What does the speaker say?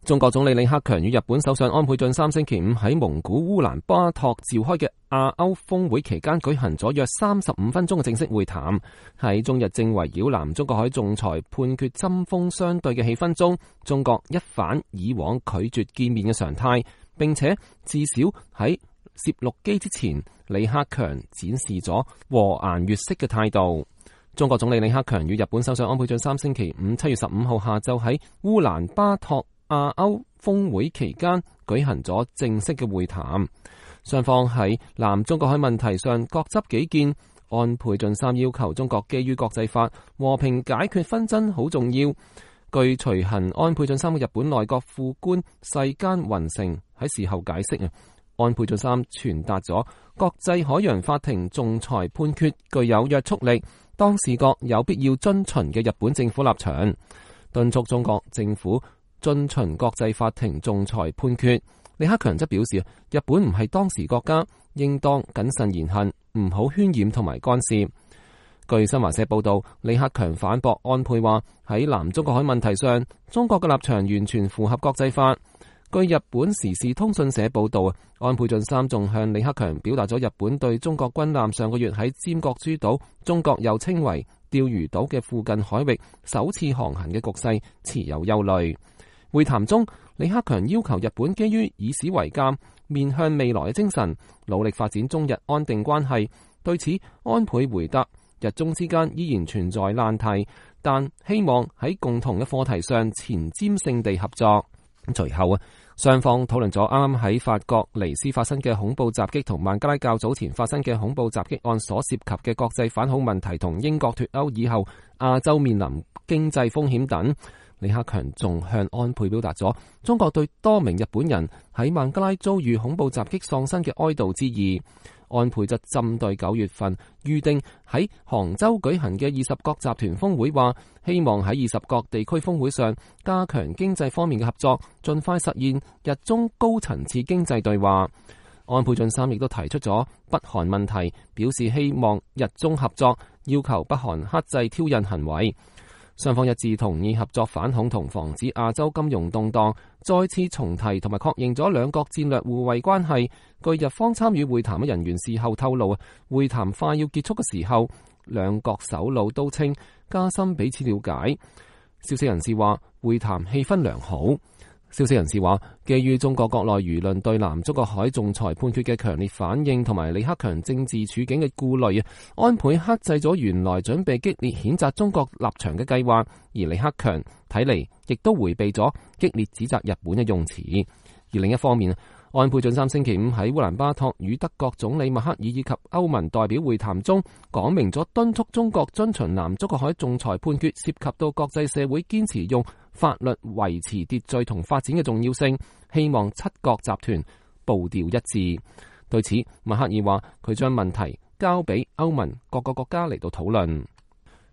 中國總理李克強與日本首相安倍晉三星期五喺蒙古烏蘭巴托召開嘅亞歐峰會期間舉行咗約35分鐘嘅正式會談。喺中日正圍繞南中國海仲裁判決針鋒相對嘅氣氛中，中國一反以往拒絕見面嘅常態，並且至少喺攝錄機之前，李克強展示咗和顏悅色嘅態度。中國總理李克強與日本首相安倍晉三星期五7月15號下晝喺烏蘭巴托亞歐峰會期間舉行咗正式嘅會談，雙方喺南中國海問題上各執己見。安倍晉三要求中國基於國際法和平解決紛爭好重要。據隨行安倍晉三嘅日本內閣副官世間宏成喺事後解釋，安倍晉三傳達咗國際海洋法庭仲裁判決具有約束力，當事國有必要遵循嘅日本政府立場，敦促中國政府遵循國際法庭仲裁判決。李克強則表示，日本唔係當事國家，應當謹慎言行，唔好渲染同埋干涉。據新華社報道，李克強反駁安倍話，喺南中國海問題上，中國嘅立場完全符合國際法。據日本時事通訊社報道，安倍晉三仲向李克強表達咗日本對中國軍艦上個月喺尖閣諸島，中國又稱為釣魚島嘅附近海域首次航行嘅局勢持有憂慮。會談中，李克強要求日本基於以史為鑑、面向未來嘅精神，努力發展中日安定關係。對此，安倍回答，日中之間依然存在難題，但希望喺共同嘅課題上前瞻性地合作。隨後雙方討論咗啱啱喺法國尼斯發生嘅恐怖襲擊同孟加拉較早前發生嘅恐怖襲擊案所涉及嘅國際反恐問題同英國脫歐以後亞洲面臨經濟風險等。李克強仲向安倍表達咗中國對多名日本人喺孟加拉遭遇恐怖襲擊喪生嘅哀悼之意。安倍則針對9月份預定喺杭州舉行嘅20國集團峰會話，希望喺20國地區峰會上加強經濟方面嘅合作，盡快實現日中高層次經濟對話。安倍晉三亦都提出咗北韓問題，表示希望日中合作，要求北韓克制挑釁行為。雙方一致同意合作反恐同防止亞洲金融動盪，再次重提同埋確認咗兩國戰略互惠關係。據日方參與會談嘅人員事後透露，會談快要結束嘅時候，兩國首腦都稱加深彼此了解。消息人士話，會談氣氛良好。消息人士話，基於中國國內輿論對南中國海仲裁判決嘅強烈反應同埋李克強政治處境嘅顧慮，安倍克制咗原來準備激烈譴責中國立場嘅計劃，而李克強睇嚟亦都迴避咗激烈指責日本嘅用詞。而另一方面，安倍晉三星期五喺烏蘭巴托與德國總理默克爾以及歐盟代表會談中，講明咗敦促中國遵循南中國海仲裁判決涉及到國際社會堅持用法律維持秩序同發展嘅重要性，希望7國集團步調一致。對此，默克爾話佢將問題交俾歐盟各個國家嚟到討論。